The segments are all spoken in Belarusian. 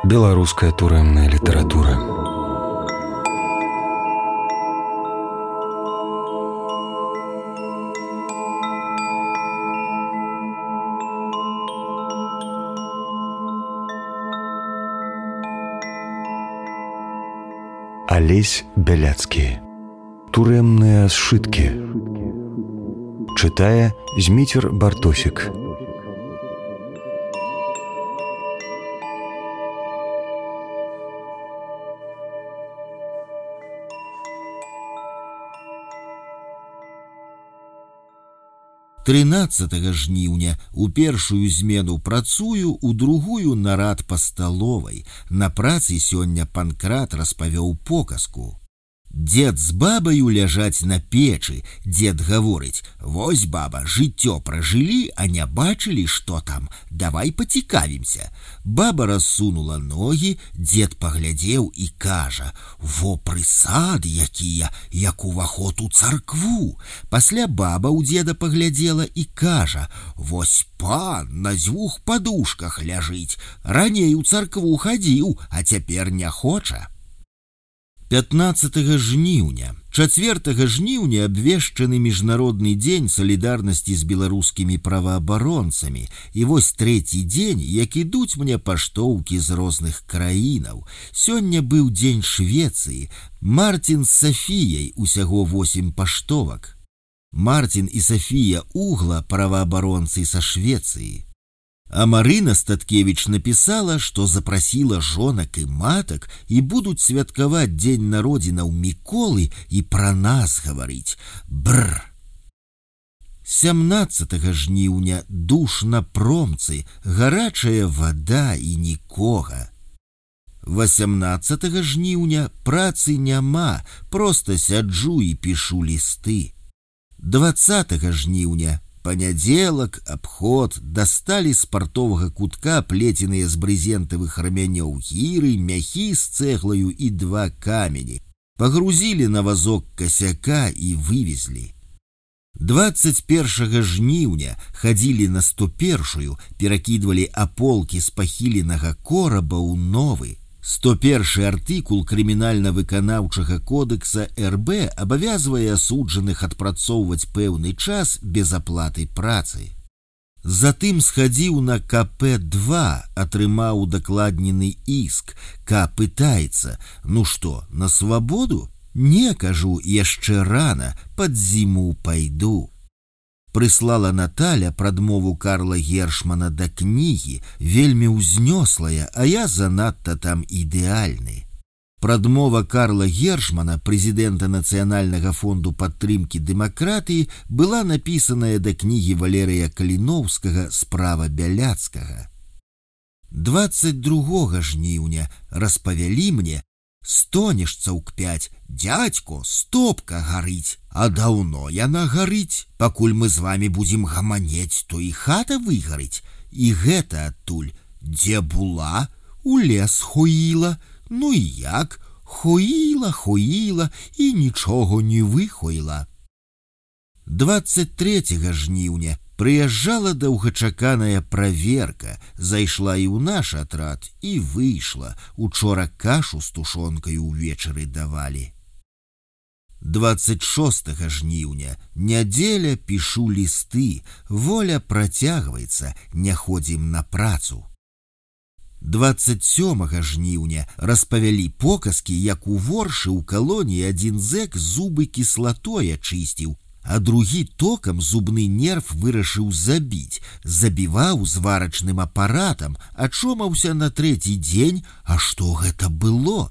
Беларуская турэмная літаратура. Алесь Бяляцкі. Турэмныя сшыткі. Чытае Зміцер Бартосік. Тринадцатага жніўня у першую змену працую, у другую нарад па сталовай. На працы сёння Панкрат распавёў показку. Дед з бабаю ляжаць на печы. Дед гаворыць: «Вось, баба, жыццё пражылі, а не бачылі, што там. Давай пацікавімся». Баба рассунула ногі, дед паглядзеў і кажа: «Во прысады якія, як уваход у царкву». Пасля баба ў деда паглядзела і кажа: «Вось пан на дзвюх падушках ляжыць. Раней у царкву хадзіў, а цяпер не хоча». 15 жніўня. 4 жніўня абвешчаны міжнародны дзень салідарнасці з беларускімі праваабаронцамі. І вось трэці дзень, як ідуць мне паштоўкі з розных краінаў. Сёння быў дзень Швецыі. Мартин з Сафіяй, усяго 8 паштовак. Мартин і Сафія Угла праваабаронцы са Швецыі. А Марына Статкевич написала, что запросила жонак и маток и будут святкаваць дзень народзінаў Міколы и про нас говорить. Бррр. 17 жніўня душ на промцы, гарачая вода и нікога. 18 жніўня працы няма, просто сяджу и пишу листы. 20 жніўня панядзелак, абход, дасталі з партовага кутка плеценыя з брызентавых рамянёў гіры, мяхі з цэглаю і 2 камені. Пагрузілі на вазок касяка і вывезлі. 21 жніўня хадзілі на 101-ю, перакідвалі аполкі з пахіленага кораба ў новы. 101 артыкул крымінальна-выканаўчага кодекса РБ абавязвае асуджаных адпрацоўваць пэўны час без аплаты працы. Затым схадзіў на КП-2, атрымаў дакладнены іск. К пытаецца: «Ну што, на свабоду?» «Не, кажу, яшчэ рана, пад зіму пайду». Прыслала Наталя прадмову Карла Гершмана да кнігі, вельмі ўзнёслая, а я занадта там ідэальны. Прадмова Карла Гершмана, прэзідэнта Нацыянальнага фонду падтрымкі дэмакратыі, была напісаная да кнігі Валерыя Каліноўскага «Справа Бяляцкага». 22 жніўня распавялі мне: «Стонешца ў кпяць, дядько, стопка гарыць, а даўно яна гарыць. Пакуль мы з вами будзем гаманець, то і хата выгарыць. І гэта адтуль: дзе була, у лес хоіла. Ну і як? Хоіла і нічого не выхоіла». 23 жніўня прыязджала доўгачаканая праверка, зайшла і ў наш атрад і выйшла. Учора кашу з тушонкай увечары давалі. 26 жніўня нядзеля, пішу лісты, воля працягваецца, не ходзім на працу. 27 жніўня распавялі показкі, як у воршы ў калоніі адзін зэк зубы кіслатой ачысціў, а другі токам зубны нерв вырашыў забіць. Забіваў зварачным апаратам, ачомаўся на 3-й дзень. А што гэта было?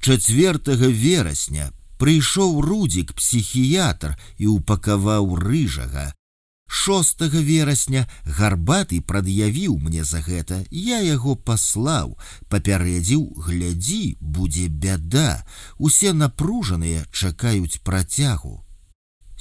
4 верасня прыйшоў Рудзік, псіхіятр, і упакаваў рыжага. 6 верасня Гарбаты прад'явіў мне за гэта, я яго паслаў, папярэдзіў: «Глядзі, будзе бяда». Усе напружаныя чакаюць працягу.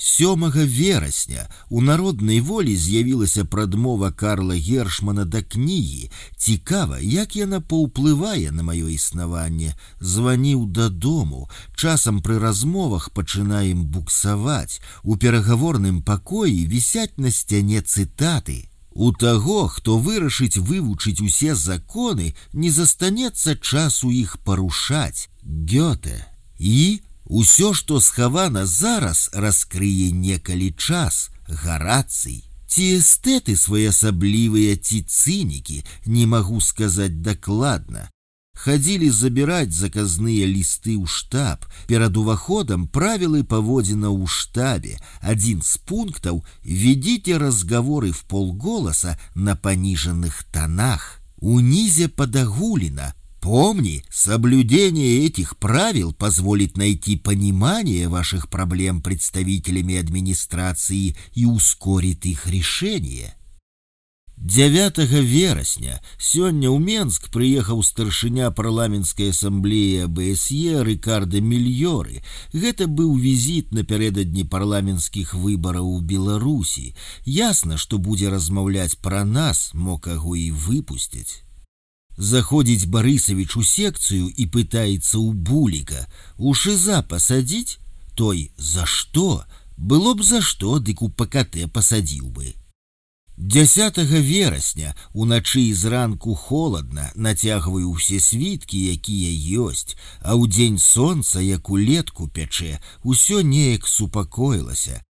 7 верасня у народнай волі з'явілася прадмова Карла Гершмана да кнігі. Цікава, як яна паўплывае на маё існаванне. Званіў дадому. Часам пры размовах пачынаем буксаваць. У перагаворным пакоі вісяць на сцяне цытаты. У таго, хто вырашыць вывучыць усе законы, не застанецца часу іх парушаць. Гёте. І усё, што схавана зараз, раскрые некалі час. Гарацый. Ці эстэты своеасаблівыя, ці цынікі, не магу сказаць дакладна. Хадзілі забіраць заказныя лісты ў штаб. Перад уваходам правілы паводзіна ў штабе. Адзін з пунктаў – ведите разговоры вполголоса на пониженных тонах. Унизе подогулина. Помни, соблюдение этих правил позволит найти понимание ваших проблем представителями администрации и ускорит их решение. 9 верасня сёння ў Менск прыехаў старшыня парламенцкай ассамблеі АБСЕ Рикардо Мильёры. Гэта быў візіт напярэдадні парламенцкіх выбараў у Беларусі. Ясна, што будзе размаўляць пра нас, мо каго і выпусцяць. Заходзіць Барысавіч у секцыю і пытаецца ў Буліка: у ШИЗА пасадзіць? Той: за што? Было б за што, дык у ПКТ пасадзіў бы. 10 верасня уначы і зранку холадна, нацягваю ўсе світкі, якія ёсць, а ў дзень сонца, як улетку пячэ, усё неяк супакоілася.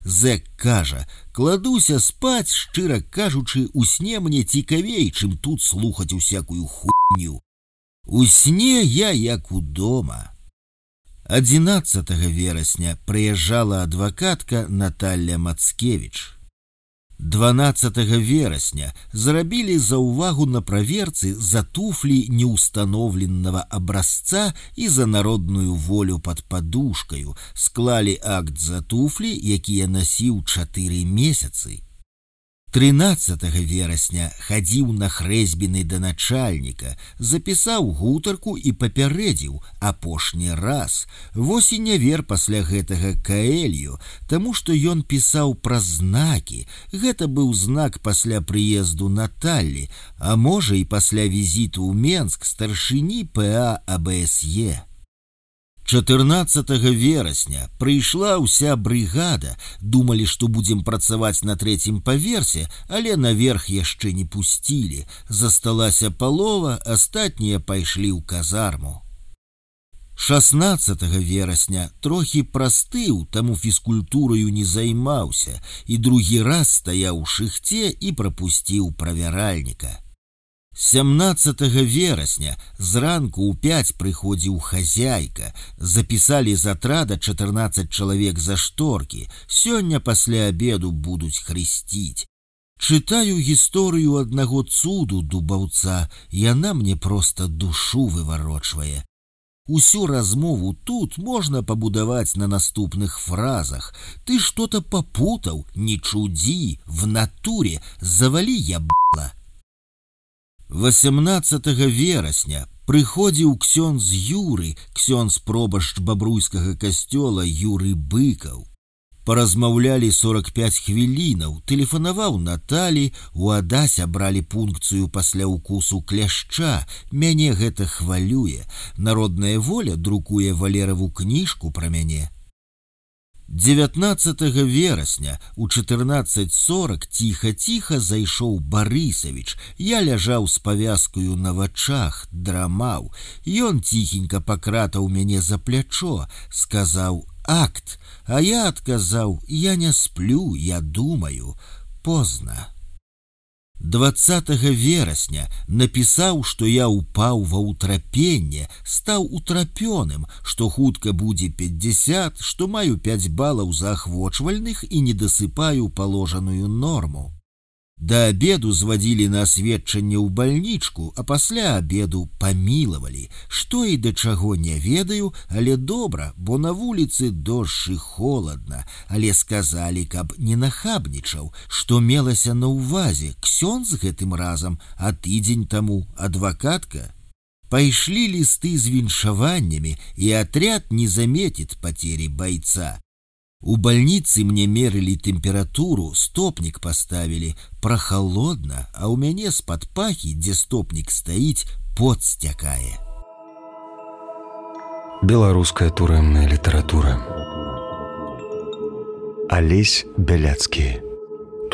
Зэк кажа: кладуся спаць, шчыра кажучы, у сне мне цікавей, чым тут слухаць усякую хуйню. У сне я як удома. 11 верасня прыязджала адвакатка Наталья Мацкевіч. 12 верасня зрабілі заўвагу на праверцы за туфлі неустановленного образца і за народную волю под подушкою. Склалі акт за туфлі, якія насіў 4 месяцы. 13 верасня хадзіў на хрэсьбіны да начальніка, запісаў гутарку і папярэдзіў: апошні раз. Вось і не вер пасля гэтага Каэлью, таму што ён пісаў пра знакі. Гэта быў знак пасля прыезду Наталлі, а можа і пасля візіту ў Менск старшыні ПА АБСЕ. 14 верасня прыйшла ўся брыгада. Думалі, што будзем працаваць на 3-м паверсе, але наверх яшчэ не пусцілі. Засталася палова, астатнія пайшлі ў казарму. 16 верасня трохі прастыў, таму фізкультураю не займаўся, і другі раз стаяў у шыхце і прапусціў правяральніка. 17 верасня зранку ў 5 прыходзіў хазяйка. Запісалі з атрада 14 чалавек за шторкі. Сёння пасля абеду будуць хрысціць. Чытаю гісторыю аднаго цуду дубаўца, яна мне проста душу выварочвае. Усю размову тут можна пабудаваць на наступных фразах. Ты что-то попутаў, не чудзі, в натуре, завалі ябла. 18 верасня прыходзіў ксёндз Юры, ксёндз пробашч бабруйскага касцёла Юры Быкаў. Паразмаўлялі 45 хвілінаў, тэлефанаваў Наталі, у Адасе бралі пункцыю пасля укусу кляшча. Мяне гэта хвалюе. Народная воля друкуе Валераву кніжку пра мяне. 19 верасня у 14:40 ціха-ціха зайшоў Барысавіч. Я ляжаў з павязкаю на вачах, драмаў. Ён ціхенька пакратаў мяне за плячо, сказаў: акт, а я адказаў: я не сплю, я думаю. Позна. 20 верасня напісаў, што я упаў ва ўтрапенне, стаў утрапёным, што хутка будзе 50, што маю 5 балаў заахвочвальных і не дасыпаю паложаную норму. Да абеду звадзілі на асведчанне ў бальнічку, а пасля абеду памілавалі. Што і да чаго не ведаю, але добра, бо на вуліцы дождж і холадна. Але сказалі, каб не нахабнічаў, што мелася на ўвазе ксёндз гэтым разам, а тыдзень таму адвакатка. Пайшлі лісты з віншаваннямі, і атряд не заметит потери бойца. У больницы мне мерили температуру, стопник поставили, прохолодно, а у мяне з-пад пахі, дзе стопник стаіць, пот сцякае. Беларуская турэмная літаратура. Алесь Бяляцкі.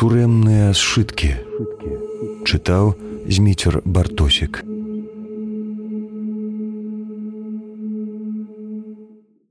Турэмныя сшыткі. Чытаў Зміцер Бартосік.